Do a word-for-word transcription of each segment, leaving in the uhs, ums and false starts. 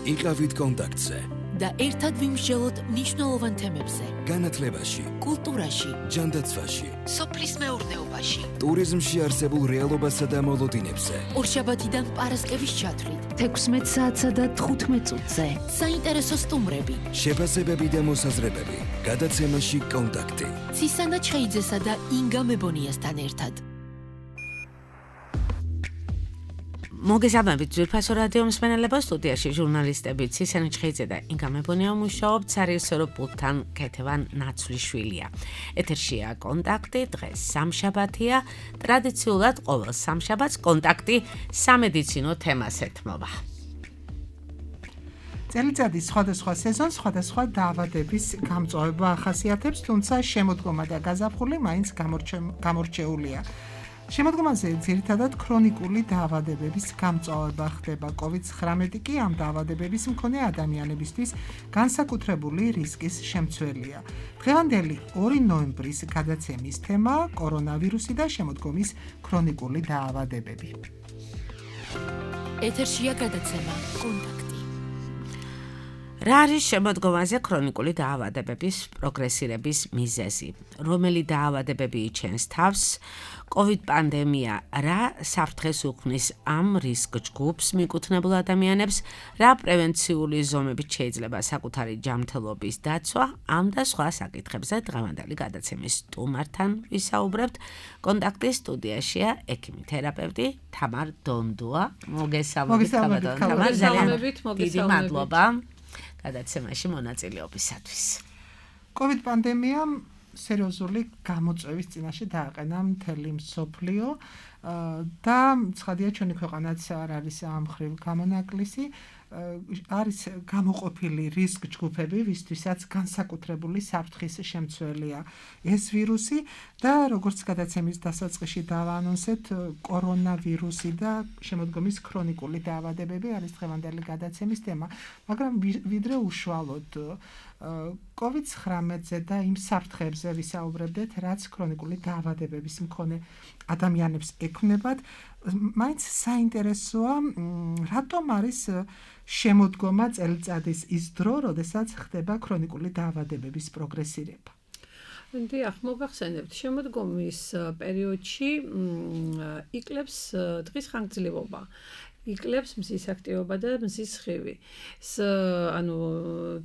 იყავით კონტაქტზე და ერთად ვიმსჯელოთ მნიშვნელოვან თემებზე. განათლებაში, კულტურაში, ჯანდაცვაში, სოფლის მეურნეობაში, ტურიზმში არსებულ რეალობასა და მოლოდინებზე. ორშაბათიდან პარასკევის ჩათვლით, თექვსმეტ საათსა და თხუთმეტ წუთზე. საინტერესო სტუმრები, შეფასებები და მოსაზრებები. გადაცემაში კონტაქტი. ცისანა ჩხეიძესა და ინგა მებონიასთან ერთად. მოგესალმებით ძვირფასო რადიო მსმენელებო, სტუდიაში ჟურნალისტები ცისანა ჩხეიძე და ინგა მებონია მუშაობთ, სარეჟისორო პულტთან ქეთევან ნაცვლიშვილია. ეთერშია კონტაქტი, დღეს სამშაბათია, ტრადიციულად ყოველ სამშაბათს კონტაქტი სამედიცინო თემას ეთმობა. წელიწადის სხვადასხვა სეზონს სხვადასხვა დაავადების გამწვავება ახასიათებს, თუმცა შემოდგომა და გაზაფხული მაინც გამორჩეულია. შემოდგომაზე ძირითადად ქრონიკული დაავადებების გამწვავება ხდება. კოვიდ ცხრამეტი კი ამ დაავადებების მქონე ადამიანებისთვის განსაკუთრებული რისკის შემცველია. დღევანდელი ორი ნოემბრის გადაცემის თემა კორონავირუსი და შემოდგომის ქრონიკული დაავადებები. ეთერშია გადაცემა კონტაქტი. რა არის შემოდგომაზე ქრონიკული დაავადებების პროგრესირების მიზეზი? რომელი დაავადებები იჩენს თავს? კოვიდ პანდემია რა საფრთხეს უქმნის ამ რისკ ჯგუფს მიკუთვნებულ ადამიანებს? რა პრევენციული ზომებით შეიძლება საკუთარი ჯანმრთელობის დაცვა? ამ და სხვა საკითხებზე დღევანდელი გადაცემის სტუმართან ვისაუბრებთ. კონტაქტის სტუდიაშია ექიმი თერაპევტი თამარ დონდუა. მოგესალმებით, თამარ, ძალიან დიდი მადლობა გადაცემაში მონაწილეობისათვის. კოვიდ პანდემიამ სერიოზული გამოწვევის წინაშე დააყენა მთელი მსოფლიო და ცხადია ჩვენი ქვეყანაც არ არის ამ მხრივ გამონაკლისი. არის გამოყოფილი რისკ ჯგუფები, ვისთვისაც განსაკუთრებული საფრთხის შემცველია ეს ვირუსი და როგორც გადაცემის დასაწყისში დავაანონსეთ, კორონავირუსი და შემოდგომის ქრონიკული დაავადებები არის დღევანდელი გადაცემის თემა, მაგრამ ვიდრე უშუალოდ კოვიდ ცხრამეტზე და იმ საფრთხებზე ვისაუბრებდეთ, რაც ქრონიკული დაავადებების მქონე ადამიანებს ექმნებათ, მაინც საინტერესოა, რატომ არის შემოდგომა წელიწადის ის დრო, როდესაც ხდება ქრონიკული დაავადებების პროგრესირება. დიახ, მოგახსენებთ, შემოდგომის პერიოდში იკლებს დღის ხანგრძლივობა. იკლებს მზის აქტივობა და მზის სხივი. ანუ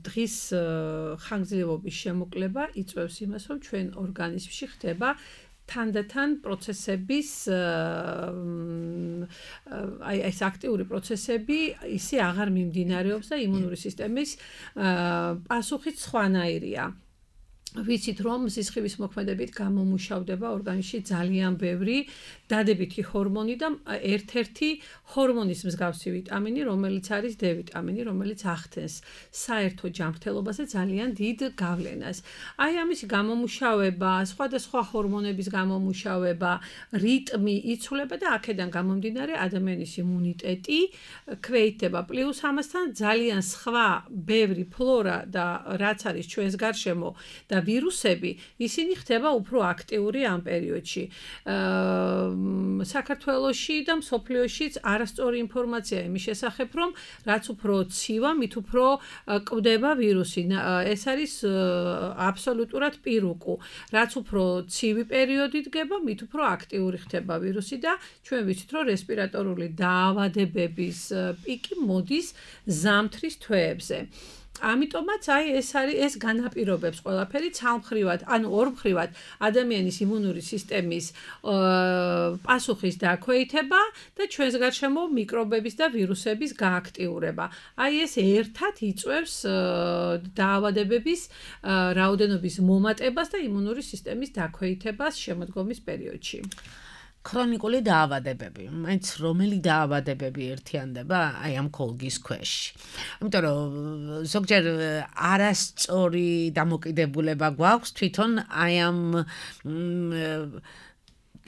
დღის ხანგრძლივობის შემოკლება იწვევს იმას, რომ ჩვენ ორგანიზმში ხდება თანდათან პროცესების აი ეს აქტიური პროცესები ისე აღარ მიმდინარეობს და იმუნური სისტემის პასუხიც სხვანაირია. ვიცით რომ სისხლის მოქმედებით გამომუშავდება ორგანიზმში ძალიან ბევრი დადებითი ჰორმონი და ერთ-ერთი ჰორმონის მსგავსი ვიტამინი, რომელიც არის D ვიტამინი, რომელიც ახდენს საერთო ჯანმრთელობაზე ძალიან დიდ გავლენას. აი ამისი გამომუშავება, სხვადასხვა ჰორმონების გამომუშავება, რიტმი იცვლება და აქედან გამომდინარე ადამიანის იმუნიტეტი ქვეითდება. პლუს ამასთან ძალიან სხვა ბევრი ფლორა და რაც არის ჩვენს გარშემო და ვირუსები, ისინი ხდება უფრო აქტიური ამ პერიოდში. საქართველოში და მსოფლიოშიც არასწორი ინფორმაცია იმის შესახებ, რომ რაც უფრო ცივა, მით უფრო კვდება ვირუსი. ეს არის აბსოლუტურად პირუკუ. რაც უფრო ცივი პერიოდი დგება, მით უფრო აქტიური ხდება ვირუსი და ჩვენ ვიცით, რომ რესპირატორული დაავადებების პიკი მოდის ზამთრის თვეებზე. ამიტომაც აი ეს არის ეს განაპირობებს ყველაფერი ცალმხრივად, ანუ ორმხრივად ადამიანის იმუნური სისტემის პასუხის დაქვეითება და ჩვენს გარშემო მიკრობების და ვირუსების გააქტიურება. აი ეს ერთად იწვევს დაავადებების რაოდენობის მომატებას და იმუნური სისტემის დაქვეითებას შემოდგომის პერიოდში. ქრონიკული დაავადებები, მაინც რომელი დაავადებები ერთიანდება აი ამ კოლგის ქვეშ. იმიტომ რომ ზოგჯერ არასწორი დამოკიდებულება გვაქვს თვითონ აი ამ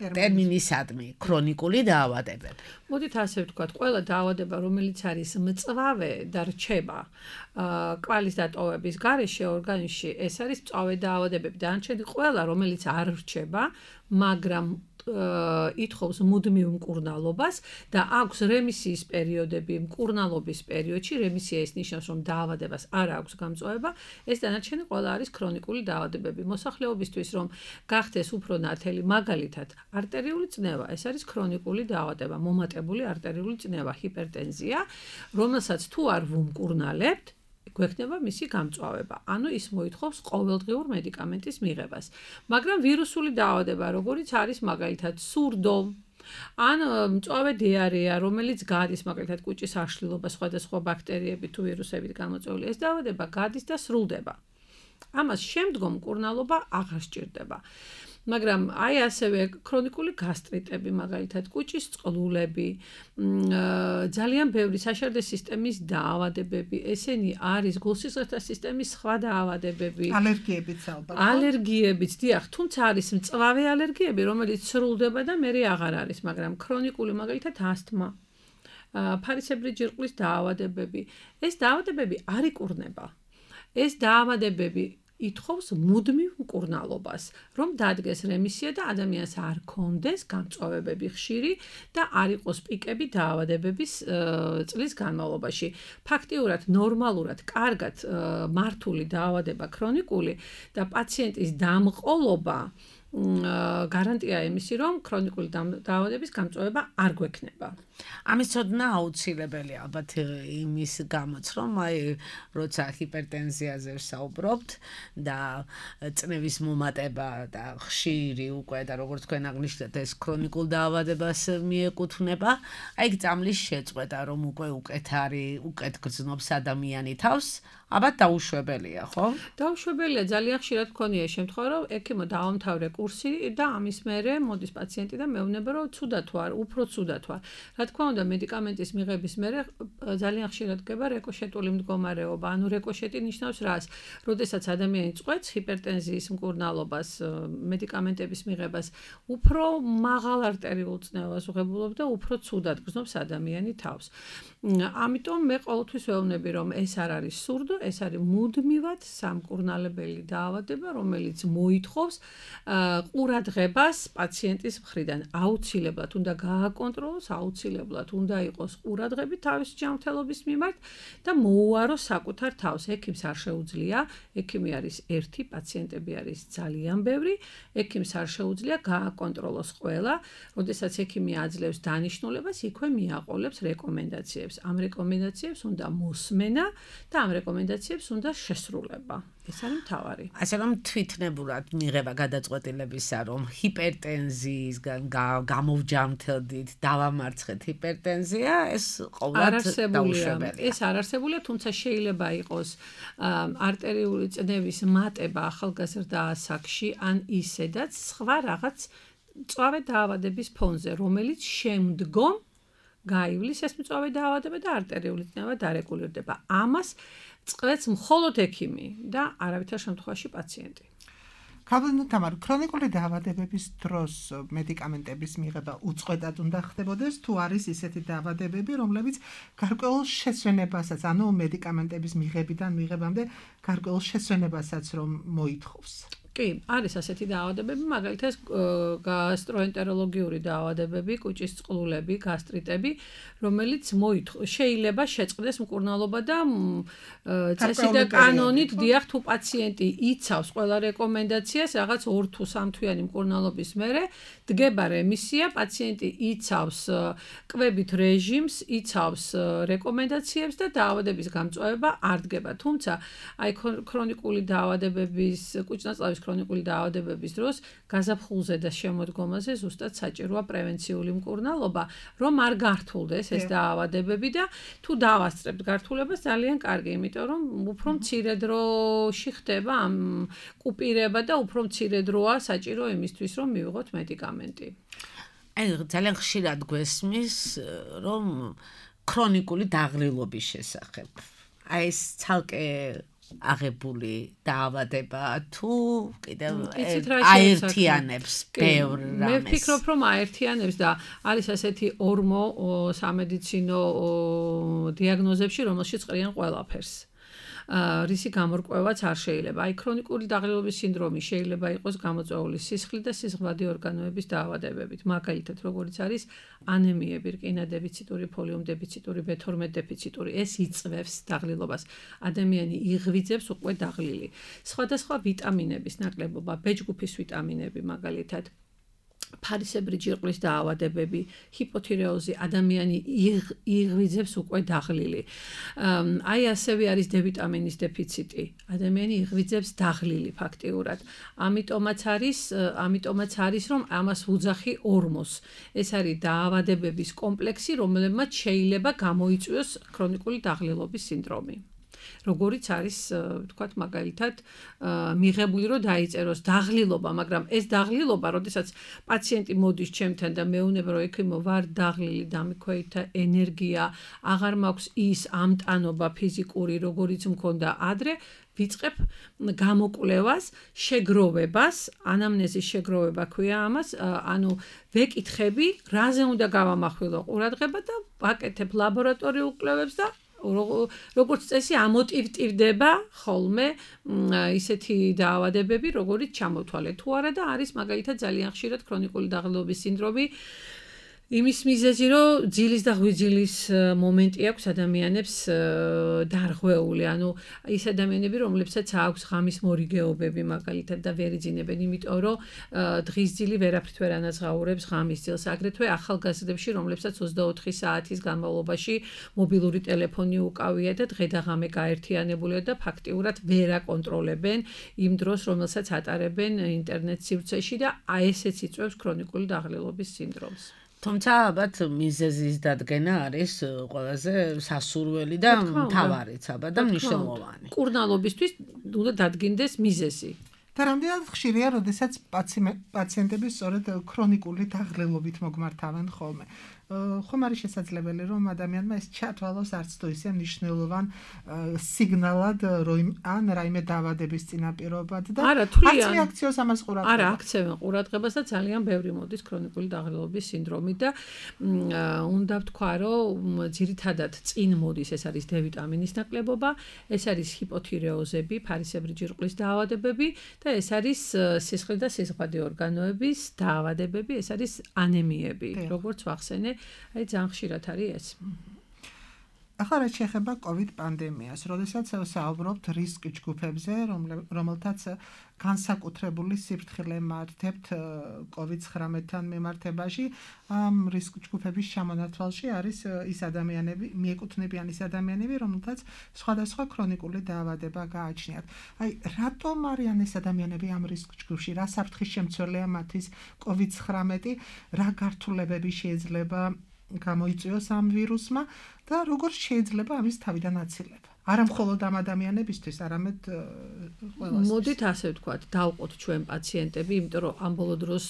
ტერმინისადმი ქრონიკული დაავადებები. მოდით ასე ვთქვათ, ყველა დაავადება, რომელიც არის მწვავე და რჩება კვალის დატოვების გარეშე ორგანიზმში, ეს არის მწვავე დაავადებები. დანარჩენი ყველა, რომელიც არ რჩება, მაგრამ ითხოვს მუდმივ მკურნალობას და აქვს რემისიის პერიოდები მკურნალობის პერიოდში, რემისია ის ნიშნავს, რომ დაავადებას არ აქვს გამწვავება, ეს დანარჩენი ყველა არის ქრონიკული დაავადებები. მოსახლეობისთვის რომ გახდეს უფრო ნათელი, მაგალითად, არტერიული წნევა, ეს არის ქრონიკული დაავადება, მომატებული არტერიული წნევა, ჰიპერტენზია, რომელსაც თუ არ ვუმკურნალებთ, გვექნება მისი გამწვავება. ანუ ის მოითხოვს ყოველდღიურ მედიკამენტის მიღებას. მაგრამ ვირუსული დაავადება, როგორიც არის მაგალითად სურდო, ან მწვავე დიარეა, რომელიც გადის მაგალითად კუჭის აშლილობა, სხვადასხვა ბაქტერიებით თუ ვირუსებით გამოწვეული, ეს დაავადება გადის და სრულდება. ამას შემდგომ მკურნალობა აღარ სჭირდება. მაგრამ აი ასევე ქრონიკული გასტრიტები, მაგალითად კუჭის წყლულები, ძალიან ბევრი საშარდე სისტემის დაავადებები, ესენი არის გულსისხლთა სისტემის სხვა დაავადებები, ალერგიებიც ალბათ. ალერგიებიც, დიახ, თუმცა არის მწვავე ალერგიები, რომელიც სრულდება და მერე აღარ არის, მაგრამ ქრონიკული მაგალითად ასთმა, ფარისებრი ჯირკვლის დაავადებები, ეს დაავადებები არ იკურნება. ეს დაავადებები ითხოვს მუდმივ მკურნალობას, რომ დადგეს რემისია და ადამიანს არ კონდეს გამწვავებები ხშირი და არ იყოს პიკები დაავადებების წლის განმავლობაში. ფაქტიურად, ნორმალურად, კარგად მართული დაავადება ქრონიკული და პაციენტის დამყოლობა გარანტია იმისი, რომ ქრონიკული დაავადების გამწვავება არ გვექნება. ამის ცოდნა აუცილებელი ალბათ იმის გამოც, რომ აი როცა ჰიპერტენზიაზე ვსაუბრობთ და წნევის მომატება და ხშირი უკვე და როგორც თქვენ აღნიშნეთ ეს ქრონიკულ დაავადებას მიეკუთვნება, აი გწამლის შეწყვეტა, რომ უკვე უკეთ არის, უკეთ გრძნობს ადამიანი თავს, ალბათ დაუშვებელია, ხო? დაუშვებელია, ძალიან ხშირად გქონია შემთხვევა, რომ ექიმო დაამთავრე კურსი და ამის მერე მოდის პაციენტი და მეუბნება, რომ ცუდად თუ არ, უფრო ცუდად თუ არ. რა თქმა უნდა, მედიკამენტის მიღების მერე ძალიან ხშირად გება რეკოშეტული მდგომარეობა. ანუ რეკოშეტი ნიშნავს რას? როდესაც ადამიანი წყვეტს ჰიპერტენზიის მკურნალობას, მედიკამენტების მიღებას, უფრო მაღალ არტერიულ წნევას უღებულობს და უფრო ცუდად გრძნობს ადამიანი თავს. ამიტომ მე ყოველთვის ვეუბნები, რომ ეს არ არის სურდო, ეს არის მუდმივად სამკურნალებელი დაავადება, რომელიც მოითხოვს ყურადღებას პაციენტის მხრიდან. აუცილებლად უნდა გააკონტროლოს, აუცილებლად უნდა იყოს ყურადღები თავის ჯანმრთელობის მიმართ და მოუაროს საკუთარ თავს. ექიმს არ შეუძლია, ექიმი არის ერთი, პაციენტები არის ძალიან ბევრი, ექიმს არ შეუძლია გააკონტროლოს ყველა, როდესაც ექიმი აძლევს დანიშნულებას, იქვე მიაყოლებს რეკომენდაციებს. ამ რეკომენდაციებს უნდა მოსმენა და ამ რეკომენდაციებს უნდა შესრულება. ეს არის მთავარი. ასე რომ თვითნებურად მიღება გადაწყვეტილებისა, რომ ჰიპერტენზიისგან გამოვჯამთელდით, დავამარცხეთ ჰიპერტენზია, ეს ყოველად დაუშვებელია. ეს არ არსებულია, თუმცა შეიძლება იყოს არტერიული წნევის მატება ახალგაზრდა ასაკში, ან ისედაც სხვა რაღაც მწვავე დაავადების ფონზე, რომელიც შემდგომ გაივლის ეს მწვავე დაავადება და არტერიული წნევა დარეგულირდება. ამას წყვეტს მხოლოდ ექიმი და არავითარ შემთხვევაში პაციენტი. ქალბატონო თამარ, ქრონიკული დაავადებების დროს მედიკამენტების მიღება უწყვეტად უნდა ხდებოდეს, თუ არის ისეთი დაავადებები, რომლებიც გარკვეულ შესვენებასაც, ანუ მედიკამენტების მიღებიდან მიღებამდე გარკვეულ შესვენებასაც რომ მოითხოვს. კი, არის ასეთი დაავადებები, მაგალითად გასტროენტეროლოგიური დაავადებები, კუჭის წყლულები, გასტრიტები, რომელიც შეიძლება შეწყდეს მკურნალობა და წესი და კანონით, დიახ, თუ პაციენტი იცავს ყველა რეკომენდაციას, რაღაც ორ თუ სამ თვიანი მკურნალობის მერე დგება რემისია, პაციენტი იცავს კვებით რეჟიმს, იცავს რეკომენდაციებს და დაავადების გამწვავება არ დგება. თუმცა, აი ქრონიკული დაავადებების, კუჭნაწლავის ქრონიკული დაავადებების დროს გაზაფხულზე და შემოდგომაზე ზუსტად საჭიროა პრევენციული მკურნალობა, რომ არ გართულდეს ეს დაავადებები და თუ დავასწრებთ გართულებას ძალიან კარგი, იმიტომ რომ უფრო მცირე დროში ხდება ამ კუპირება და უფრო მცირე დროა საჭირო იმისთვის, რომ მივიღოთ მედიკამენტი. აი ძალიან ხშირად გვესმის, რომ ქრონიკული დაღრილობის შესახებ. აი ეს ცალკე აღებული დაავადება თუ კიდევ აერთიანებს ბევრ რამეს. მე ვფიქრობ, რომ აერთიანებს და არის ასეთი ორმო სამედიცინო დიაგნოზებში, რომელშიც ყრიან ყველაფერს. რისი გამორკვევაც არ შეიძლება. აი ქრონიკული დაღლილობის სინდრომი შეიძლება იყოს გამოწვეული სისხლით და სისხლვადი ორგანოების დაავადებებით. მაგალითად, როგორიც არის ანემიები, რკინა დეფიციტური, ფოლიუმ დეფიციტური, ბ თორმეტ დეფიციტური, ეს იწვევს დაღლილობას. ადამიანი იღვიძებს უკვე დაღლილი. სხვადასხვა ვიტამინების ნაკლებობა, ბ ჯგუფის ვიტამინები მაგალითად ფარისებრი ჯირკვლის დაავადებები, ჰიპოთირეოზი, ადამიანი იღვიძებს უკვე დაღლილი. აი ასევე არის დ ვიტამინის დეფიციტი. ადამიანი იღვიძებს დაღლილი ფაქტიურად. ამიტომაც არის, ამიტომაც არის, რომ ამას ვუძახი ორმოს. ეს არის დაავადებების კომპლექსი, რომელმაც შეიძლება გამოიწვიოს ქრონიკული დაღლილობის სინდრომი. როგორიც არის, ვთქვათ, მაგალითად, მიღებული რომ დაიწეროს დაღლილობა, მაგრამ ეს დაღლილობა, როდესაც პაციენტი მოდის ჩემთან და მეუბნება, რომ ექიმო, ვარ დაღლილი, დამიქვეითა ენერგია, აღარ მაქვს ის ამტანობა ფიზიკური, როგორიც მქონდა ადრე, ვიწყებ გამოკვლევას, შეგროვებას, ანამნეზის შეგროვება ქვია ამას, ანუ ვეკითხები, რაზე უნდა გავამახვილო ყურადღება და ვაკეთებ ლაბორატორიულ კვლევებს და როგორც წესი ამოტივტივდება ხოლმე ისეთი დაავადებები, როგორიც ჩამოთვალე თუ არა და არის მაგალითად ძალიან ხშირად ქრონიკული დაღლილობის სინდრომი იმის მიზეზი, რომ ძილის და ღვიძლის მომენტი აქვს ადამიანებს დარღვეული, ანუ ის ადამიანები, რომლებსაც აქვს ღამის მორიგეობები მაგალითად და ვერ იძინებენ, იმიტომ რომ დღის ძილი ვერაფრით ვერ ანაზღაურებს ღამის ძილს, აგრეთვე ახალგაზრდებში, რომლებსაც ოცდაოთხი საათის განმავლობაში მობილური ტელეფონი უკავია და დღე და ღამე გაერთიანებულია და ფაქტიურად ვერ აკონტროლებენ იმ დროს, რომელსაც ატარებენ ინტერნეტ სივრცეში და აი ესეც იწვევს ქრონიკული დაღლილობის სინდრომს. თუმცა ალბათ მიზეზის დადგენა არის ყველაზე სასურველი და მთავარიც ალბათ და მნიშვნელოვანი. კურნალობისთვის უნდა დადგინდეს მიზეზი. და რამდენად ხშირია, როდესაც პაციენტები სწორედ ქრონიკული დაღლილობით მოგმართავენ ხოლმე. ხომ არის შესაძლებელი, რომ ადამიანმა ეს ჩათვალოს არც თუ ისე მნიშვნელოვან სიგნალად, რომ ან რაიმე დაავადების წინაპირობად და არც მიაქციოს ამას ყურადღებას. არა, აქცევენ ყურადღებას და ძალიან ბევრი მოდის ქრონიკული დაღლილობის სინდრომით და უნდა ვთქვა, რომ ძირითადად წინ მოდის, ეს არის დ ვიტამინის ნაკლებობა, ეს არის ჰიპოთირეოზები, ფარისებრი ჯირკვლის დაავადებები და ეს არის სისხლის და სისხლვადი ორგანოების დაავადებები, ეს არის ანემიები, როგორც ვახსენე. აი ძალიან ხშირად არის ეს. ახლა რაც შეეხება COVID პანდემიას, როდესაც საუბრობთ რისკ ჯგუფებზე, რომელთაც განსაკუთრებული სიფრთხილე მართებთ COVID ცხრამეტთან მიმართებაში, ამ რისკ ჯგუფების ჩამონათვალში არის ის ადამიანები, მიეკუთვნებიან ის ადამიანები, რომელთაც სხვადასხვა ქრონიკული დაავადება გააჩნიათ. აი, რატომ არიან ეს ადამიანები ამ რისკ ჯგუფში? რა საფრთხის შემცველია მათთვის COVID ცხრამეტი? რა გართულებები შეიძლება გამოიწვიოს ამ ვირუსმა და როგორ შეიძლება ამის თავიდან აცილება? არა მხოლოდ ამ ადამიანებისთვის, არამედ ყველასთვის. მოდით ასე ვთქვათ, დავყოთ ჩვენ პაციენტები, იმიტომ რომ ამ ბოლო დროს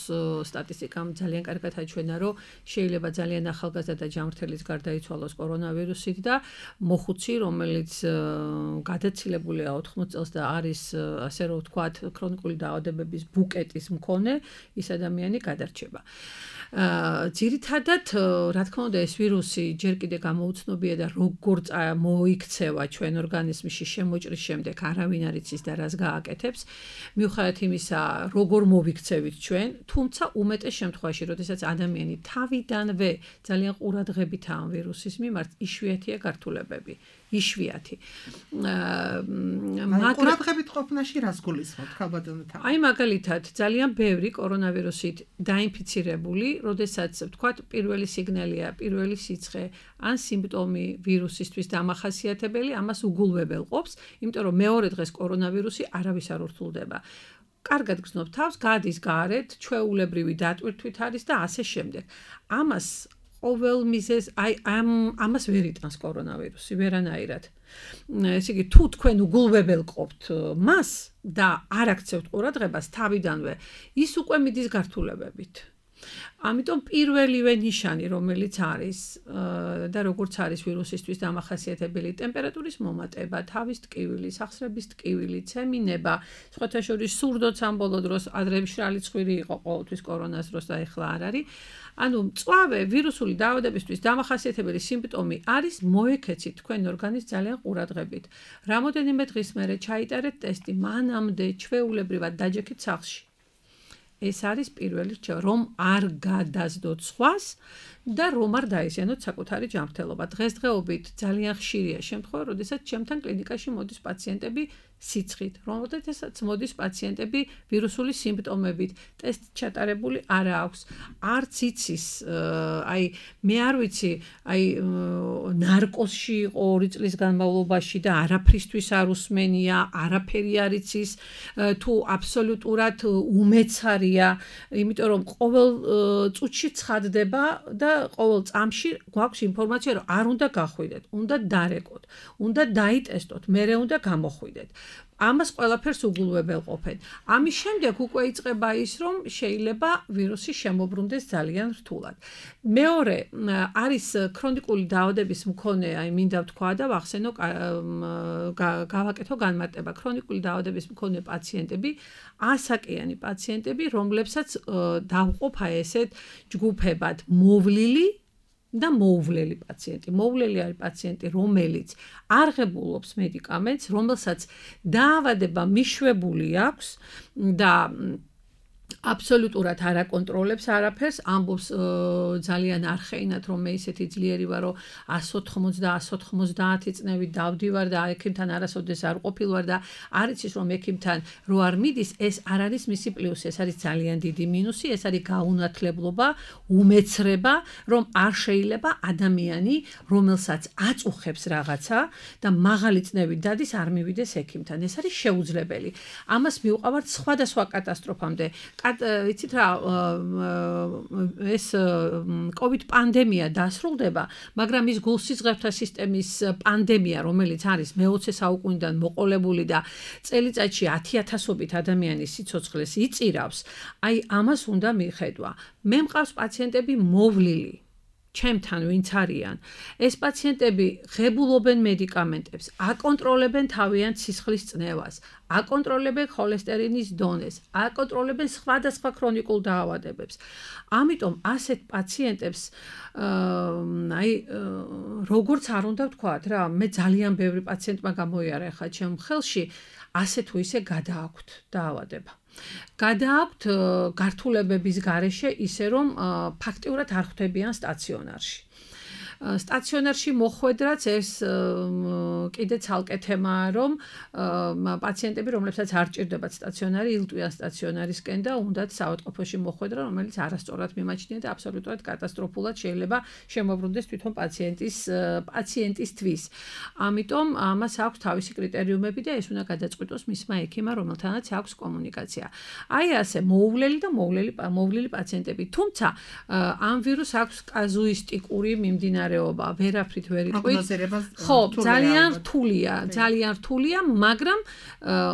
სტატისტიკამ ძალიან კარგად აჩვენა, რომ შეიძლება ძალიან ახალგაზრდა და ჯანმრთელის გარდაიცვალოს კორონავირუსით და მოხუცი, რომელიც გადაცილებულია ოთხმოც წელს და არის ასე რომ ვთქვათ, ქრონიკული დაავადებების ბუკეტის მქონე, ის ადამიანი გადარჩება. ძირითადად, რა თქმა უნდა, ეს ვირუსი ჯერ კიდე გამოუცნობია და როგორ მოიქცევა ჩვენ ორგანიზმში შემოჭრის შემდეგ არავინ არ იცის და რას გააკეთებს. მიუხედავად იმისა, როგორ მოვიქცევით ჩვენ, თუმცა უმეტეს შემთხვევაში, როდესაც ადამიანი თავიდანვე ძალიან ყურადღებითაა ამ ვირუსის მიმართ, იშვიათია გართულებები. იშვიათი. ყურადღებით ყოფნაში რას გულისხმობთ, ხალბატონო თან? აი მაგალითად, ძალიან ბევრი კორონავირუსით დაინფიცირებული, როდესაც ვთქვათ, პირველი სიგნალია, პირველი სიცხე ან სიმპტომი ვირუსისთვის დამახასიათებელი, ამას უგულვებელ ყოფს, იმიტომ რომ მეორე დღეს კორონავირუსი არავის არ ურთულდება. კარგად გრძნობ თავს, გადის გარეთ, ჩვეულებრივი დატვირთვით არის და ასე შემდეგ. ამას ყოველ მიზეზ, აი ამ ამას ვერ იტანს კორონავირუსი, ვერანაირად. ესე იგი, თუ თქვენ უგულვებელ ყოფთ მას და არ აქცევთ ყურადღებას თავიდანვე, ის უკვე მიდის გართულებებით. ამიტომ პირველივე ნიშანი, რომელიც არის და როგორც არის ვირუსისთვის დამახასიათებელი ტემპერატურის მომატება, თავის ტკივილი, სახსრების ტკივილი, ცემინება, სხვათა შორის სურდოც ამ ბოლო დროს ადრე მშრალი ცხვირი იყო ყოველთვის კორონას დროს და ეხლა არ არის. ანუ მწვავე ვირუსული დაავადებისთვის დამახასიათებელი სიმპტომი არის მოექეცით თქვენ ორგანიზმს ძალიან ყურადღებით. რამოდენიმე დღის მერე ჩაიტარეთ ტესტი, მანამდე ჩვეულებრივად დაჯექით სახლში. ეს არის პირველი რჩევა, რომ არ გადაზდოთ სხვას და რომ არ დაიზიანოთ საკუთარი ჯანმრთელობა. დღესდღეობით ძალიან ხშირია შემთხვევა, როდესაც ჩემთან კლინიკაში მოდის პაციენტები სიცხით, რომელთაც მოდის პაციენტები ვირუსული სიმპტომებით, ტესტი ჩატარებული არ აქვს. არც იცის, აი მე არ ვიცი, აი ნარკოზში იყო ორი წლის განმავლობაში და არაფრისთვის არ უსმენია, არაფერი არ იცის, თუ აბსოლუტურად უმეცარია, იმიტომ რომ ყოველ წუთში ცხადდება და ყოველ წამში გვაქვს ინფორმაცია, რომ არ უნდა გახვიდეთ, უნდა დარეკოთ, უნდა დაიტესტოთ, მერე უნდა გამოხვიდეთ. ამას ყველაფერს უგულვებელყოფენ. ამის შემდეგ უკვე იწყება ის, რომ შეიძლება ვირუსი შემოbrunდეს ძალიან რთულად. მეორე არის ქრონიკული დაავადების მქონე, აი მინდა ვთქვა და ვახსენო, გავაკეთო განმარტება. ქრონიკული დაავადების მქონე პაციენტები, ასაკიანი პაციენტები, რომლებსაც დავყოფ აი ესეთ ჯგუფებად მოვლილი და მოუვლელი პაციენტი. მოუვლელი არის პაციენტი, რომელიც არ ღებულობს მედიკამენტს, რომელსაც დაავადება მიშვებული აქვს და აბსოლუტურად არ აკონტროლებს არაფერს, ამბობს ძალიან არხეინად, რომ მე ისეთი ძლიერი ვარ, რომ εκατს ოთხმოცდა, εκατს ოთხმოცდაათი წნევით დავდივარ და ექიმთან არასოდეს არ ყოფილვარ და არ იცის, რომ ექიმთან რო არ მიდის, ეს არ არის მისი პლუსი, ეს არის ძალიან დიდი მინუსი, ეს არის გაუნათლებლობა, უმეცრება, რომ არ შეიძლება ადამიანი, რომელსაც აწუხებს რაღაცა და მაღალი წნევით დადის, არ მივიდეს ექიმთან. ეს არის შეუძლებელი. ამას მივყავართ სხვადასხვა კატასტროფამდე. ვიცით რა, ეს COVID პანდემია დასრულდება, მაგრამ ის გულსიზღებთა სისტემის პანდემია, რომელიც არის მეოცე საუკუნიდან მოყოლებული და წელიწადში ათი ათასობით ადამიანის სიცოცხლეს იწირავს, აი ამას უნდა მიხედვა. მე მყავს პაციენტები მოვლილი. ჩემთან ვინც არიან, ეს პაციენტები ღებულობენ მედიკამენტებს, აკონტროლებენ თავიანთ სისხლის წნევას, აკონტროლებენ холესტერინის დონეს, აკონტროლებენ სხვადასხვა ქრონიკულ დაავადებებს. ამიტომ ასეთ პაციენტებს აი როგორც არ უნდა ვთქვათ რა, მე ძალიან ბევრი პაციენტმა გამოიარა ხა ჩემ ხელში, ასე თუ ისე გადააქვთ დაავადება. გადააქვთ გართულებების გარეშე ისე რომ ფაქტიურად არ ხვდებიან სტაციონარში. სტაციონარში მოხვედრაც ეს კიდე ცალკე თემაა, რომ პაციენტები, რომლებსაც არ ჭირდებათ სტაციონარი, ილტვიან სტაციონარისკენ და უნდათ საავადმყოფოში მოხვედრა, რომელიც არასწორად მიმაჩნია და აბსოლუტურად კატასტროფულად შეიძლება შემოbrunდეს თვითონ პაციენტის პაციენტისთვის. ამიტომ ამას აქვს თავისი კრიტერიუმები და ეს უნდა გადაწყვიტოს მისმა ექიმმა, რომელთანაც აქვს კომუნიკაცია. აი ასე მოუვლელი და მოუვლელი მოვლილი პაციენტები, თუმცა ამ ვირუსს აქვს კაზუისტიკური მიმდინარე ვერაფრით ვერ იტყვით. ხო, ძალიან რთულია, ძალიან რთულია, მაგრამ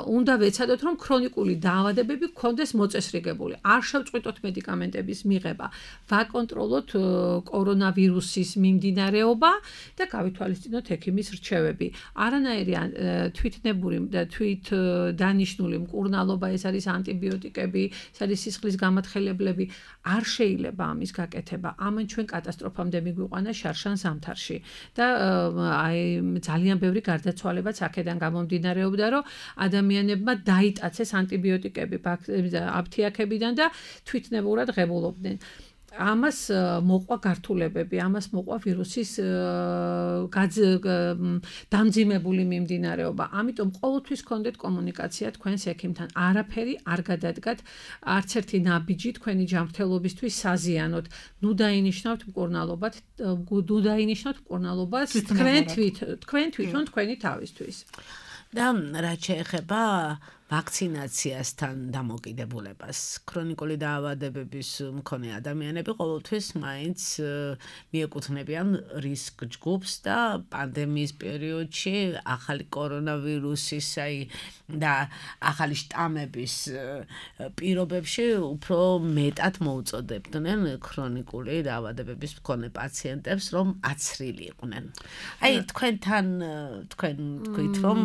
უნდა ვეცადოთ, რომ ქრონიკული დაავადებები გქონდეს მოწესრიგებული. არ შევწყვიტოთ მედიკამენტების მიღება, ვაკონტროლოთ კორონავირუსის მიმდინარეობა და გავითვალისწინოთ ექიმის რჩევები. არანაირი თვითნებური და თვით დანიშნული მკურნალობა, ეს არის ანტიბიოტიკები, ეს არის სისხლის გამათხელებლები, არ შეიძლება ამის გაკეთება. ამან ჩვენ კატასტროფამდე მიგვიყვანა შარშან ზამთარში და აი ძალიან ბევრი გარდაცვალებაც აქედან გამომდინარეობდა, რომ ადამიანებმა დაიტაცეს ანტიბიოტიკები აფთიაქებიდან და თვითნებურად ღებულობდნენ. ამას მოყვა გართულებები, ამას მოყვა ვირუსის დამძიმებული მიმდინარეობა. ამიტომ ყოველთვის გქონდეთ კომუნიკაცია თქვენს ექიმთან. არაფერი არ გადადგათ, არც ერთი ნაბიჯი თქვენი ჯანმრთელობისთვის საზიანოდ. ნუ დაინიშნავთ მკურნალობად, ნუ დაინიშნავთ მკურნალობას თქვენ თვით, თქვენ თვითონ თქვენი თავისთვის. და რაც შეეხება ვაქცინაციასთან დამოკიდებულებას. ქრონიკული დაავადებების მქონე ადამიანები ყოველთვის მაინც მიეკუთვნებიან რისკ ჯგუფს და პანდემიის პერიოდში ახალი კორონავირუსის აი და ახალი შტამების პირობებში უფრო მეტად მოუწოდებდნენ ქრონიკული დაავადებების მქონე პაციენტებს, რომ აცრილიყვნენ. აი თქვენთან თქვენ თქვით რომ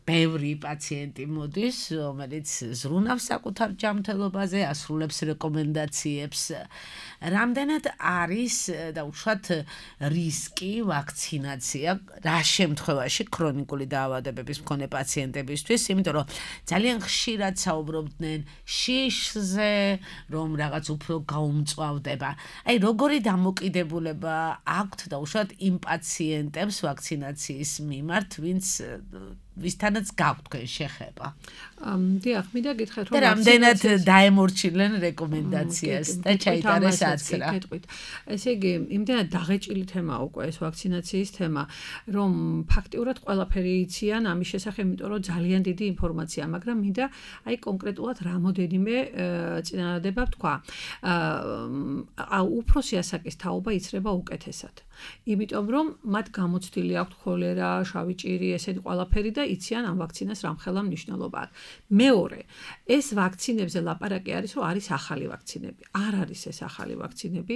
ბევრი პაციენტი მოდის, რომელიც ზრუნავს საკუთარ ჯანმრთელობაზე, ასრულებს რეკომენდაციებს. რამდენად არის დაუშვათ რისკი ვაქცინაცია რა შემთხვევაში ქრონიკული დაავადებების მქონე პაციენტებისთვის, იმიტომ რომ ძალიან ხშირად საუბრობდნენ შიშზე, რომ რაღაც უფრო გაუმწვავდება. აი როგორი დამოკიდებულება აქვთ დაუშვათ იმ პაციენტებს ვაქცინაციის მიმართ, ვინც ვისთანაც გაქვთ თქვენ შეხება. დიახ, მინდა გითხრათ რომ რამდენად დაემორჩიlen რეკომენდაციას და ჩაიტარეს აცრა. ესე იგი, იმდენად დაღეჭილი თემაა უკვე ეს ვაქცინაციის თემა, რომ ფაქტიურად ყველაფერი იციან ამის შესახებ, იმიტომ რომ ძალიან დიდი ინფორმაცია, მაგრამ მინდა აი კონკრეტულად რამოდენიმე წინადადება ვთქვა. აა უფროსი ასაკის თაობა იცრება უკეთესად. იმიტომ რომ მათ გამოცდილი აქვთ ქოლერა, შავი ჭირი, ესეთი ყველაფერი და იციან ამ ვაქცინას რამხელა მნიშვნელობა აქვს. მეორე, ეს ვაქცინებზე ლაპარაკი არის, რომ არის ახალი ვაქცინები. არ არის ეს ახალი ვაქცინები.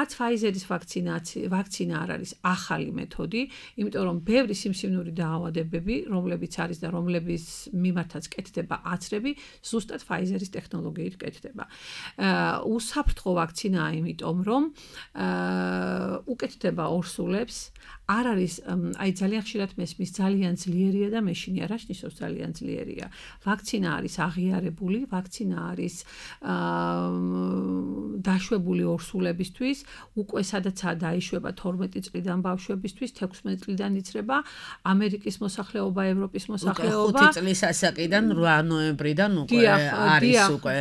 არც Pfizer-ის ვაქცინაცია, ვაქცინა არ არის ახალი მეთოდი, იმიტომ რომ ბევრი სიმსივნური დაავადებები, რომლებიც არის და რომლების მიმართაც კეთდება აცრები, ზუსტად Pfizer-ის ტექნოლოგიით კეთდება. აა უსაფრთხო ვაქცინაა, იმიტომ რომ აა უკეთდება ორსულებს, არ არის აი ძალიან ხშირად მესმის ძალიან ძლიერია და მეშინია, რა ნიშნავს ძალიან ძლიერია. ვაქცინა არის აღიარებული, ვაქცინა არის დაშვებული ორსულებისთვის, უკვე სადაცაა დაიშვება თორმეტი წლიდან ბავშვებისთვის, თექვსმეტი წლიდან იცრება ამერიკის მოსახლეობა, ევროპის მოსახლეობა. ხუთი წლის ასაკიდან რვა ნოემბრიდან უკვე არის უკვე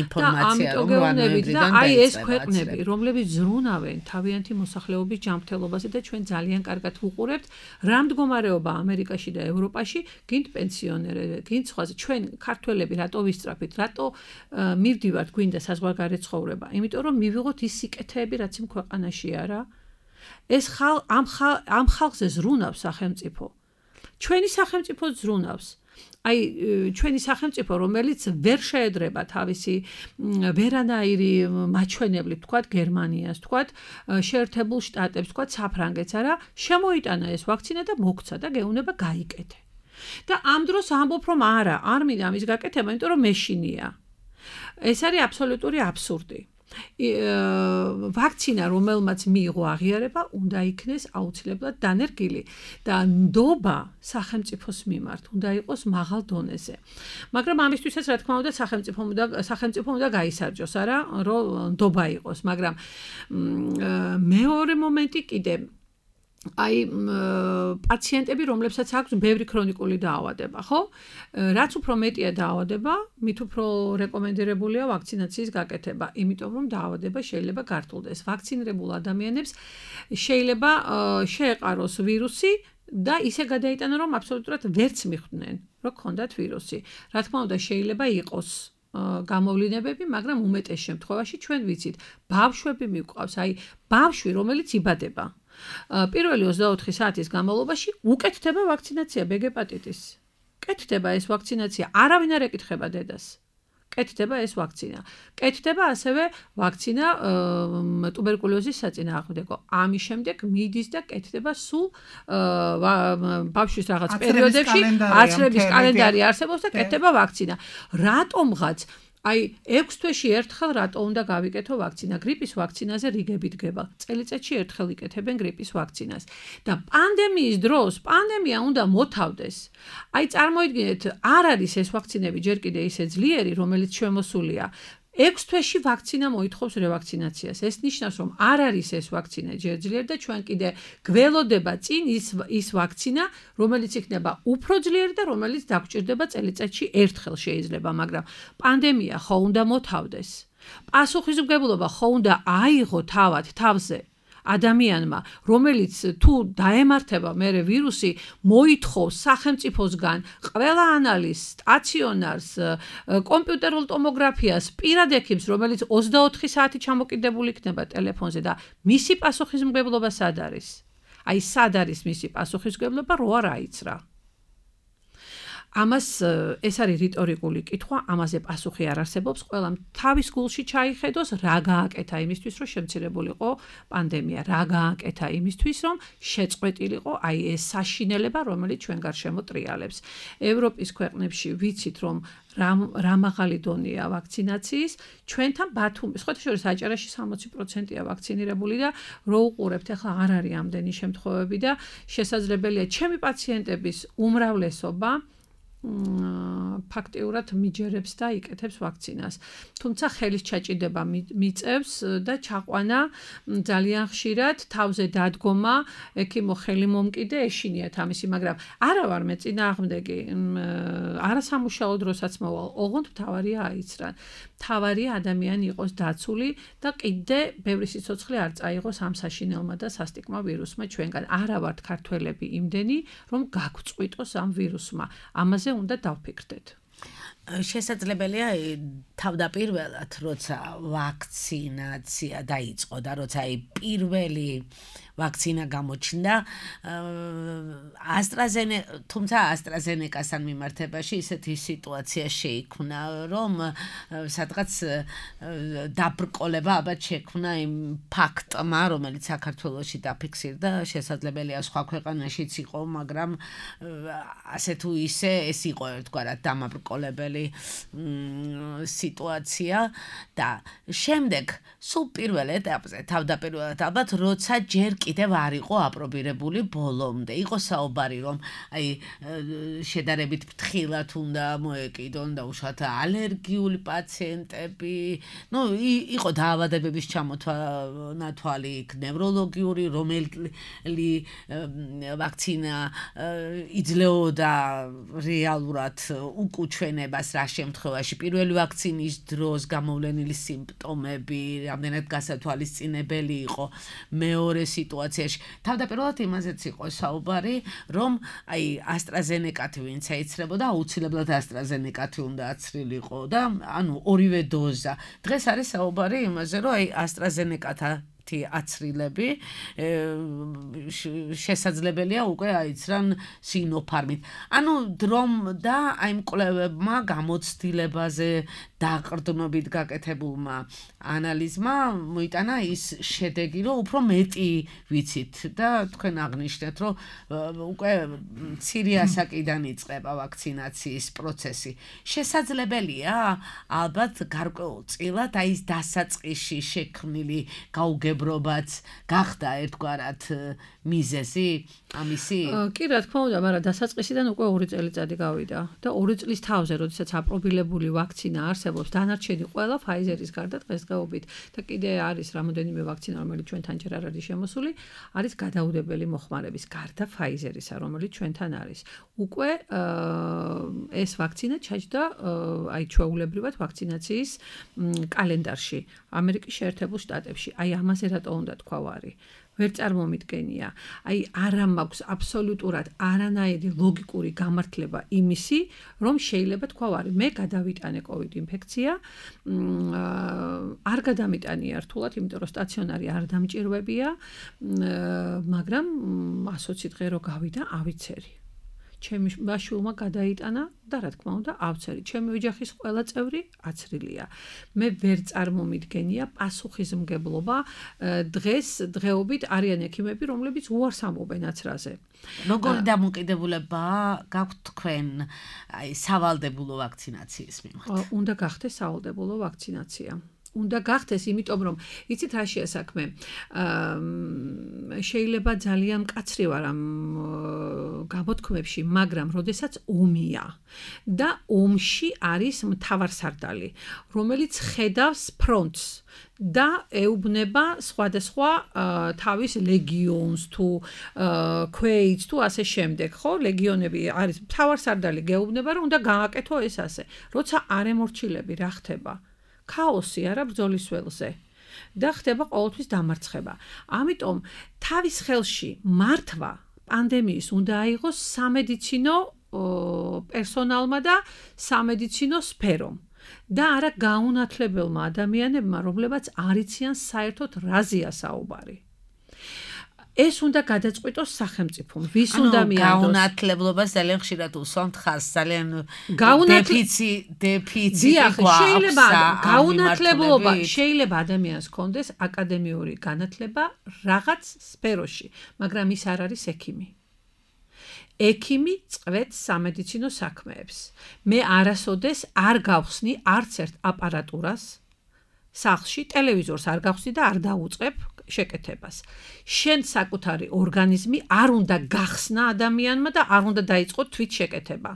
ინფორმაცია, რომ რვა ნოემბრიდან აი ეს ქვეყნები, რომლებიც ზრუნავენ თავიანთი მოსახლეობის ჯანმრთელობაზე და ჩვენ ძალიან კარგად ვუყურებთ, რა მდგომარეობა ამერიკაში და ევროპაში, გინდ პენსიონერები, გინდ სხვაზე, ჩვენ ქართველები რატო ვისწრაფით, რატო მივდივართ გვინდა საზღვარგარეთ ცხოვრება, იმიტომ რომ მივიღოთ ის სიკეთეები, რაც იმ ქვეყანაშია რა. ეს ხალ ამ ხალ ამ ხალხზე ზრუნავს სახელმწიფო. ჩვენი სახელმწიფო ზრუნავს. აი ჩვენი სახელმწიფო, რომელიც ვერ შეედრება თავისი ვერანაირი მაჩვენებლით, თქვათ გერმანიას, თქვათ შეერთებულ შტატებს, თქვათ საფრანგეთს, არა, შემოიტანა ეს ვაქცინა და მოგცა და გეუბნება გაიკეთე. და ამ დროს ამბობ რომ არა, არ მინდა ამის გაკეთება, იმიტომ რომ მეშინია. ეს არის აბსოლუტური აბსურდი. ვაქცინა, რომელმაც მიიღო აღიარება, უნდა იქნეს აუცილებლად დანერგილი და ნდობა სახელმწიფოს მიმართ უნდა იყოს მაღალ დონეზე. მაგრამ ამისთვისაც რა თქმა უნდა სახელმწიფომ უნდა სახელმწიფომ უნდა გაისარჯოს, არა, რომ ნდობა იყოს, მაგრამ მეორე მომენტი კიდე აი პაციენტები, რომლებსაც აქვს ბევრი ქრონიკული დაავადება, ხო? რაც უფრო მეტია დაავადება, მით უფრო რეკომენდირებულია ვაქცინაციის გაკეთება, იმიტომ რომ დაავადება შეიძლება გართულდეს. ვაქცინირებულ ადამიანებს შეიძლება შეეყაროს ვირუსი და ისე გადაიტანა, რომ აბსოლუტურად ვერც მიხვდნენ, რომ ქონდათ ვირუსი. რა თქმა უნდა, შეიძლება იყოს გამოვლინებები, მაგრამ უმეტეს შემთხვევაში ჩვენ ვიცით, ბავშვები მიყვავს, აი ბავშვი, რომელიც იბადება. პირველი ოცდაოთხი საათის განმავლობაში უკეთდება ვაქცინაცია ბეგეპატიტის. კეთდება ეს ვაქცინაცია, არავინ არ ეკითხება დედას. კეთდება ეს ვაქცინა. კეთდება ასევე ვაქცინა ტუბერკულოზის საწინააღმდეგო. ამის შემდეგ მიდის და კეთდება სულ ბავშვის რაღაც პერიოდებში, აცრების კალენდარი არსებობს და კეთდება ვაქცინა. რატომღაც აი ექვს თვეში ერთხელ რატო უნდა გავიკეთო ვაქცინა? გრიპის ვაქცინაზე რიგები დგება. წელიწადში ერთხელ იკეთებენ გრიპის ვაქცინას. და პანდემიის დროს პანდემია უნდა მოთავდეს. აი წარმოიდგინეთ, არ არის ეს ვაქცინები ჯერ კიდე ისე ძლიერი, რომელიც შემოსულია. ექვს თვეში ვაქცინა მოითხოვს რევაქცინაციას. ეს ნიშნავს, რომ არ არის ეს ვაქცინა ჯერ ძლიერი და ჩვენ კიდე გველოდება წინ ის ის ვაქცინა, რომელიც იქნება უფრო ძლიერი და რომელიც დაგჭირდება წელიწადში ერთხელ შეიძლება, მაგრამ პანდემია ხო უნდა მოთავდეს. პასუხისმგებლობა ხო უნდა აიღო თავად თავზე ადამიანმა, რომელიც თუ დაემართება მერე ვირუსი, მოითხოვს სახელმწიფოსგან ყველა ანალიზს, სტაციონარს, კომპიუტერულ ტომოგრაფიას, პირად ექიმს, რომელიც ოცდაოთხი საათი ჩამოკიდებული იქნება ტელეფონზე და მისი პასუხისმგებლობა სად არის? აი, სად არის მისი პასუხისმგებლობა, რო არ აიცრა. ამას ეს არის რიტორიკული კითხვა, ამაზე პასუხი არ არსებობს, ყველამ თავის გულში ჩაიხედოს, რა გააკეთა იმისთვის, რომ შემცირებულიყო პანდემია, რა გააკეთა იმისთვის, რომ შეწყვეტილიყო აი ეს საშინელება, რომელიც ჩვენ გარშემო ტრიალებს. ევროპის ქვეყნებში ვიცით, რომ რა მაღალი დონეა ვაქცინაციის, ჩვენთან ბათუმის, სხვათა შორის აჭარაში სამოცი პროცენტია ვაქცინირებული და რო უყურებთ, ახლა არ არის ამდენი შემთხვევები და შესაძლებელია ჩემი პაციენტების უმრავლესობა ფაქტიურად მიჯერებს და იკეთებს ვაქცინას. თუმცა ხელის ჩაჭიდება მიწევს და ჩაყვანა ძალიან ხშირად თავზე დადგომა, ექიმო ხელი მომკიდე ეშინიათ ამისი, მაგრამ არა ვარ მე წინააღმდეგი, არასამუშაო დროსაც მოვალ, ოღონდ მთავარია აიცრან. მთავარია ადამიანი იყოს დაცული და კიდე ბევრი სიცოცხლე არ წაიღოს ამ საშინელმა და სასტიკმა ვირუსმა ჩვენგან. არა ვართ ქართველები იმდენი, რომ გაგწყვიტოს ამ ვირუსმა. ამაზე უნდა დავფიქრდეთ. შესაძლებელია თავდაპირველად, როცა ვაქცინაცია დაიწყო და როცა აი პირველი ვაქცინა გამოჩნდა, AstraZeneca, თუმცა AstraZeneca-სთან მიმართებაში ისეთი სიტუაცია შეიქმნა, რომ სადღაც დაბრკოლება ალბათ შექმნა იმ ფაქტმა, რომელიც საქართველოში დაფიქსირდა, შესაძლებელია სხვა ქვეყანაშიც იყო, მაგრამ ასე თუ ისე ეს იყო ერთგვარად დამაბრკოლებელი სიტუაცია და შემდეგ სულ პირველ ეტაპზე თავდაპირველად ალბათ როცა ჯერ კიდევ არ იყო აპრობირებული ბოლომდე. იყო საუბარი, რომ აი შედარებით ფრთხილად უნდა მოეკიდონ და უშუალოდ ალერგიული პაციენტები, ну, იყო დაავადებების ჩამოთვალი, ნევროლოგიური, რომელი ვაქცინა იძლეოდა რეალურად უკუჩვენებას რა შემთხვევაში პირველი ვაქცინის დროს გამოვლენილი სიმპტომები, რამდენად გასათვალისწინებელი იყო მეორე სიტუაციაში. თავდაპირველად იმაზეც იყო საუბარი, რომ აი AstraZeneca-ი ვინც ეიცრებოდა, აუცილებლად AstraZeneca-ი უნდა აცრილიყო და ანუ ორივე დოზა. დღეს არის საუბარი იმაზე, რომ აი AstraZeneca-თან აცრილები შესაძლებელია უკვე აიცრან Sinopharm-ით. ანუ დრომ და აი მკვლევებმა გამოცდილებაზე დაყრდნობით გაკეთებულმა ანალიზმა მოიტანა ის შედეგი, რომ უფრო მეტი ვიცით და თქვენ აღნიშნეთ, რომ უკვე მცირე ასაკიდან იწყება ვაქცინაციის პროცესი. შესაძლებელია ალბათ გარკვეულწილად აი ეს დასაწყისში შექმნილი გაუგებრობაც გახდა ერთგვარად მიზეზი ამისი? კი, რა თქმა უნდა, მაგრამ დასაწყისიდან უკვე ორი წელიწადი გავიდა და ორი წლის თავზე, როდესაც აპრობირებული ვაქცინა არსებობს, დანარჩენი ყველა Pfizer-ის გარდა დღესდღეობით და კიდე არის რამოდენიმე ვაქცინა, რომელიც ჩვენთან ჯერ არ არის შემოსული, არის გადაუდებელი მოხმარების გარდა Pfizer-ისა, რომელიც ჩვენთან არის. უკვე ეს ვაქცინა ჩაჯდა აი ჩვეულებრივად ვაქცინაციის კალენდარში ამერიკის შეერთებულ შტატებში. აი ამაზე რატო უნდა თქვა ვარი? ვერ წარმომიდგენია. აი არა მაქვს აბსოლუტურად არანაირი ლოგიკური გამართლება იმისი, რომ შეიძლება თქვა ვარი, მე გადავიტანე COVID ინფექცია, არ გადამიტანია რთულად, იმიტომ რომ სტაციონარი არ დამჭირვებია, მაგრამ ასოცი დღე რო გავიდა, ავიცერი. ჩემი ბაშულმა გადაიტანა და რა თქმა უნდა ავცერი. ჩემი ოჯახის ყველა წევრი აცრილია. მე ვერ წარმომიდგენია პასუხისმგებლობა დღეს დღეობით არიან ექიმები, რომლებიც უარს ამბობენ აცრაზე. როგორი დამოკიდებულება გაქვთ თქვენ აი სავალდებულო ვაქცინაციის მიმართ? უნდა გახდეს სავალდებულო ვაქცინაცია. უნდა გახდეს, იმიტომ რომ იცით რა შეასაქმე. შეიძლება ძალიან მკაცრი ვარ ამ გამოთქმებში, მაგრამ როდესაც ომია და ომში არის მთავარსარდალი, რომელიც ხედავს ფრონტს და ეუბნება სხვადასხვა თავის ლეგიონს თუ ქვეითს თუ ასე შემდეგ, ხო? ლეგიონები არის მთავარსარდალი გეუბნება, რომ უნდა გააკეთო ეს ასე. როცა არ ემორჩილები, რა ხდება? ქაოსი არა ბრძოლის ველზე. და ხდება ყოველთვის დამარცხება. ამიტომ თავის ხელში მართვა პანდემიის უნდა აიღოს სამედიცინო პერსონალმა და სამედიცინო სფერომ და არა გაუნათლებელმა ადამიანებმა, რომლებიც არ იციან საერთოდ რაზეა საუბარი. ეს უნდა გადაწყვიტოს სახელმწიფომ, ვის უნდა მიანდოს. გაუნათლებლობას ძალიან ხშირად უსვამთ ხაზს, ძალიან დეფიცი დეფიციტი გვაქვს. შეიძლება გაუნათლებლობა, შეიძლება ადამიანს ჰქონდეს აკადემიური განათლება რაღაც სფეროში, მაგრამ ის არ არის ექიმი. ექიმი წვეთს სამედიცინო საქმეებს. მე არასოდეს არ გავხსნი არც ერთ აპარატურას სახლში, ტელევიზორს არ გავხსნი და არ დაუწყებ შეკეთებას. შენ საკუთარი ორგანიზმი არ უნდა გახსნა ადამიანმა და არ უნდა დაიწყო თვით შეკეთება.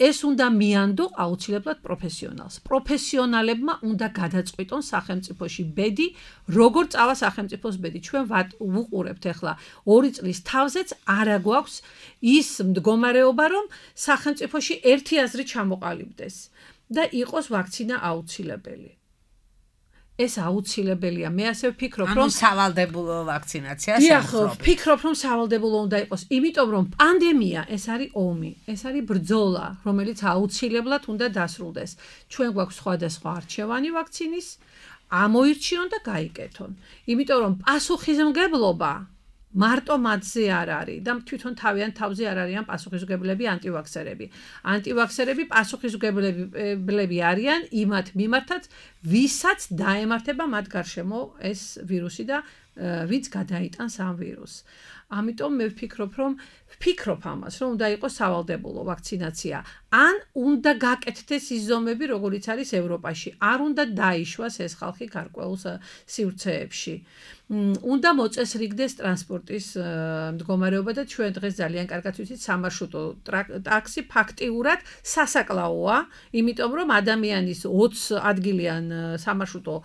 ეს უნდა მიანდო აუცილებლად პროფესიონალს. პროფესიონალებმა უნდა გადაწყვიტონ სახელმწიფოში ბედი, როგორ წავა სახელმწიფოს ბედი. ჩვენ ვუყურებთ ახლა ორი წლის თავზეც არა გვაქვს ის მდგომარეობა, რომ სახელმწიფოში ერთი აზრი ჩამოყალიბდეს და იყოს ვაქცინა აუცილებელი. ეს აუცილებელია. მე ასე ვფიქრობ, რომ სავალდებულო ვაქცინაცია შეუძლია. ვფიქრობ, რომ სავალდებულო უნდა იყოს, იმიტომ რომ პანდემია ეს არის ომი, ეს არის ბრძოლა, რომელიც აუცილებლად უნდა დასრულდეს. ჩვენ გვაქვს სხვადასხვა არჩევანი ვაქცინის, ამოირჩიონ და გაიკეთონ. იმიტომ რომ პასუხისმგებლობა მარტო მათზე არ არის და თვითონ თავიანთ თავზე არ არიან პასუხისმგებლები ანტივაქსერები. ანტივაქსერები პასუხისმგებლები არიან იმათ მიმართაც, ვისაც დაემართება მათ გარშემო ეს ვირუსი და ვინც გადაიტანს ამ ვირუსს. ამიტომ მე ვფიქრობ, რომ ვფიქრობ ამას, რომ უნდა იყოს სავალდებულო ვაქცინაცია. ან უნდა გაკეთდეს ის ზომები, როგორიც არის ევროპაში. არ უნდა დაიშვას ეს ხალხი გარკვეულ სივრცეებში. უნდა მოწესრიგდეს ტრანსპორტის მდგომარეობა და ჩვენ დღეს ძალიან კარგად ვიცით, სამარშრუტო ტაქსი ფაქტიურად სასაკლაოა, იმიტომ რომ ადამიანის ოცი ადგილიან სამარშრუტო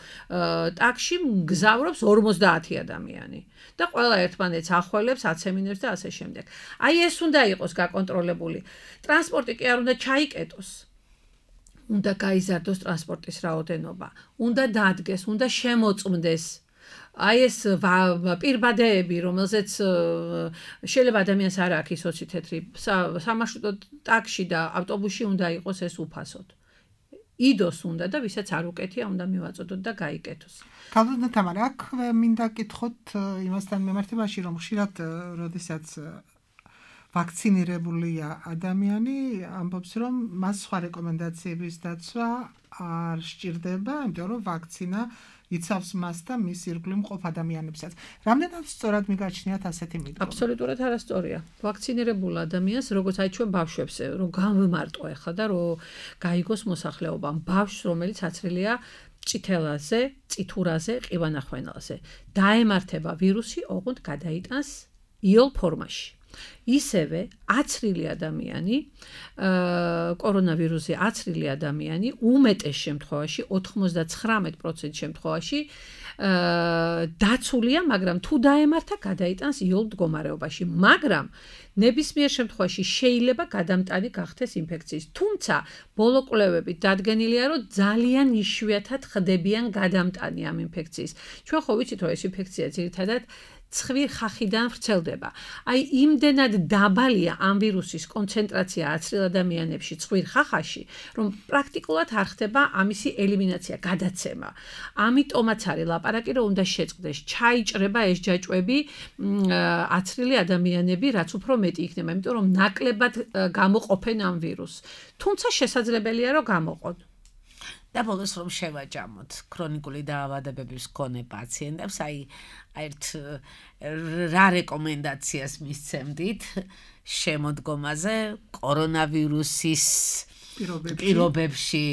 ტაქსში მგზავრობს ორმოცდაათი ადამიანი და ყველა ერთმანეთს ახველებს, აცემინებს და ასე შემდეგ. აი ეს უნდა იყოს გაკონტროლებული. ტრანსპორტი კი არ უნდა ჩაიკეტოს. უნდა გაიზარდოს ტრანსპორტის რაოდენობა, უნდა დადგეს, უნდა შემოწმდეს. აი ეს პირბადეები, რომელზეც შეიძლება ადამიანს არ აქვს ის ოცი თეთრი სამარშრუტო ტაქსში და ავტობუსში უნდა იყოს ეს უფასოდ. იდოს უნდა და ვისაც არ უკეთია, უნდა მივაწოდოთ და გაიკეთოს. გავდოთ თამარა, აქ მინდა კითხოთ იმასთან მიმართებაში, რომ ხშირად როდესაც ვაქცინირებულია ადამიანი, ამბობს, რომ მას სხვა რეკომენდაციების დაცვა არ სჭირდება, იმიტომ რომ ვაქცინა იცავს მას და მის ირგვლივ მყოფ ადამიანებსაც. რამდენად სწორად მიგაჩნიათ ასეთი მიდგომა? აბსოლუტურად არასწორია. ვაქცინირებულ ადამიანს, როგორც აი ჩვენ ბავშვებს, რომ გამვიმარტო ახლა და რომ გაიგოს მოსახლეობა, ბავშვს, რომელიც აცრილია წითელაზე, წითურაზე, ყივანახვენელზე, დაემართება ვირუსი, ოღონდ გადაიტანს იოლ ფორმაში. ისევე აცრილი ადამიანი, კორონავირუსი აცრილი ადამიანი უმეტეს შემთხვევაში, ოთხმოცდაცხრამეტ პროცენტ შემთხვევაში დაცულია, მაგრამ თუ დაემართა, გადაიტანს იოლ მდგომარეობაში. მაგრამ ნებისმიერ შემთხვევაში შეიძლება გადამტანი გახდეს ინფექციის. თუმცა ბოლო კვლევებით დადგენილია, რომ ძალიან იშვიათად ხდებიან გადამტანი ამ ინფექციის. ჩვენ ხო ვიცით, რომ ეს ინფექცია ძირითადად ცხვირ ხახიდან ვრცელდება. აი იმდენად დაბალია ამ ვირუსის კონცენტრაცია აცრილ ადამიანებში ცხვირ ხახაში, რომ პრაქტიკულად არ ხდება ამისი ელიმინაცია, გადაცემა. ამიტომაც არის ლაპარაკი, რომ უნდა შეწყდეს, ჩაიჭრება ეს ჯაჭვები აცრილი ადამიანები, რაც უფრო მეტი იქნება, იმიტომ რომ ნაკლებად გამოყოფენ ამ ვირუსს. თუმცა შესაძლებელია, რომ გამოყონ. და ბოლოს რომ შევაჯამოთ ქრონიკული დაავადებების მქონე პაციენტებს, აი ერთ რა რეკომენდაციას მისცემდით შემოდგომაზე კორონავირუსის პირობებში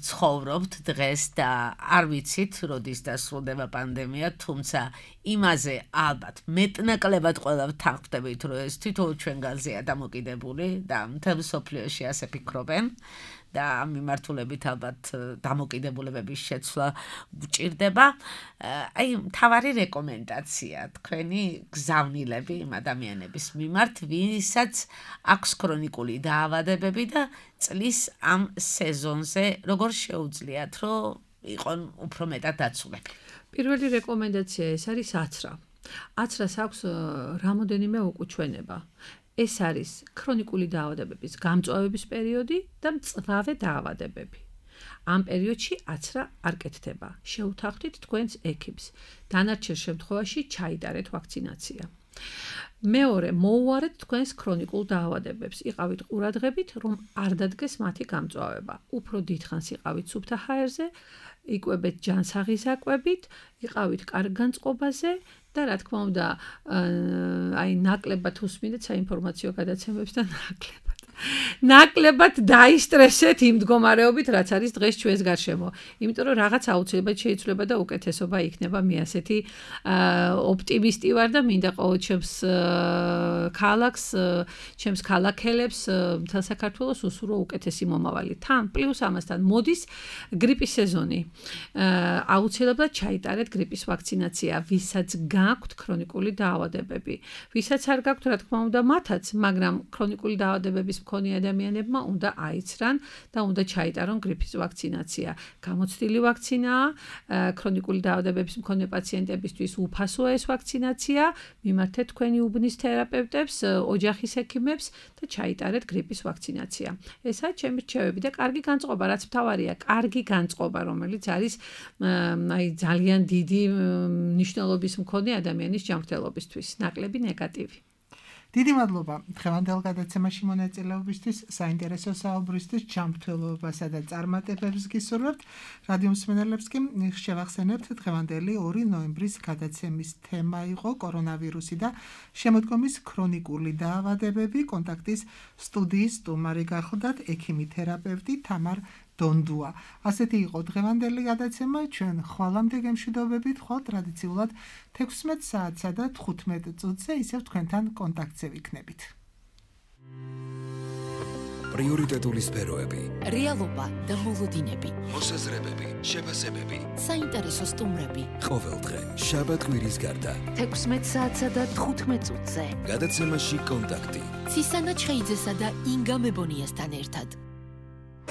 ცხოვრობთ დღეს და არ ვიცით, როდის დასრულდება პანდემია, თუმცა იმაზე ალბათ მეტნაკლებად ყველა ვთანხმდებით, რომ ეს თითოეულ ჩვენგანზეა დამოკიდებული და მთელ მსოფლიოში ასე ფიქრობენ. და ამ მიმართულებით ალბათ დამოკიდებულებების შეცვლა გვჭირდება. აი, მთავარი რეკომენდაცია თქვენი გზავნილები იმ ადამიანების მიმართ, ვისაც აქვს ქრონიკული დაავადებები და წლის ამ სეზონზე როგორ შეუძლიათ, რომ იყონ უფრო მეტად დაცულები. პირველი რეკომენდაცია ეს არის აცრა. აცრას აქვს რამოდენიმე უკუჩვენება. ეს არის ქრონიკული დაავადებების გამწვავების პერიოდი და მწვავე დაავადებები. ამ პერიოდში აცრა არ კეთდება. შეუთანხმდით თქვენს ექიმს. დანარჩენ შემთხვევაში ჩაიტარეთ ვაქცინაცია. მეორე, მოუარეთ თქვენს ქრონიკულ დაავადებებს. იყავით ყურადღებით, რომ არ დადგეს მათი გამწვავება. უფრო დიდხანს იყავით სუფთა ჰაერზე, იკვებეთ ჯანსაღიზაკვებით, იყავით კარგ განწყობაზე და რა თქმა უნდა, აი ნაკლებად უსმინეთ საინფორმაციო გადაცემებს და ნაკლებად ნაკლებად დაისტრესეთ იმ მდგომარეობით, რაც არის დღეს ჩვენს გარშემო. იმიტომ რომ რაღაც აუცილებლად შეიძლება და უკეთესობა იქნება. მე ასეთი ოპტიმისტი ვარ და მინდა ყოველ ჩემს ქალაქს, ჩემს ქალაქელებს, მთელ საქართველოს უსურვო უკეთესი მომავალი. თან პლუს ამასთან მოდის გრიპის სეზონი. აუცილებლად ჩაიტარეთ გრიპის ვაქცინაცია, ვისაც გაქვთ ქრონიკული დაავადებები. ვისაც არ გაქვთ, რა თქმა უნდა, მათაც, მაგრამ ქრონიკული დაავადებების მქონე ადამიანებმა უნდა აიცრან და უნდა ჩაიტარონ გრიპის ვაქცინაცია. გამოცდილი ვაქცინაა, ქრონიკული დაავადებების მქონე პაციენტებისთვის უფასოა ეს ვაქცინაცია. მიმართეთ თქვენი უბნის თერაპევტებს, ოჯახის ექიმებს და ჩაიტარეთ გრიპის ვაქცინაცია. ესაა ჩემი რჩევები და კარგი განწყობა, რაც მთავარია, კარგი განწყობა, რომელიც არის აი ძალიან დიდი მნიშვნელობის მქონე ადამიანის ჯანმრთელობისთვის, ნაკლები ნეგატივი. დიდი მადლობა დღევანდელ გადაცემაში მონაწილეობისთვის, საინტერესო საუბრისთვის, ჯანმრთელობასა და წარმატებებს გისურვებთ. რადიო მსმენელებს კი შევახსენებთ, დღევანდელი ორი ნოემბრის გადაცემის თემა იყო კორონავირუსი და შემოდგომის ქრონიკული დაავადებები. კონტაქტის სტუდიის სტუმარი გახლდათ ექიმი თერაპევტი თამარ დონდუა. ასეთი იყო დღევანდელი გადაცემა. ჩვენ ხვალამდე გემშვიდობებით, ხვალ ტრადიციულად თექვსმეტ საათსა და თხუთმეტ წუთზე ისევ თქვენთან კონტაქტზე ვიქნებით. პრიორიტეტული სფეროები, რეალობა და მოლოდინები, მოსაზრებები, შეფასებები, საინტერესო სტუმრები. ყოველდღე შაბათ-კვირის გარდა თექვსმეტ საათსა და თხუთმეტ წუთზე. გადაცემაში კონტაქტი. ცისანა ჩხეიძესა და ინგა მებონიასთან ერთად.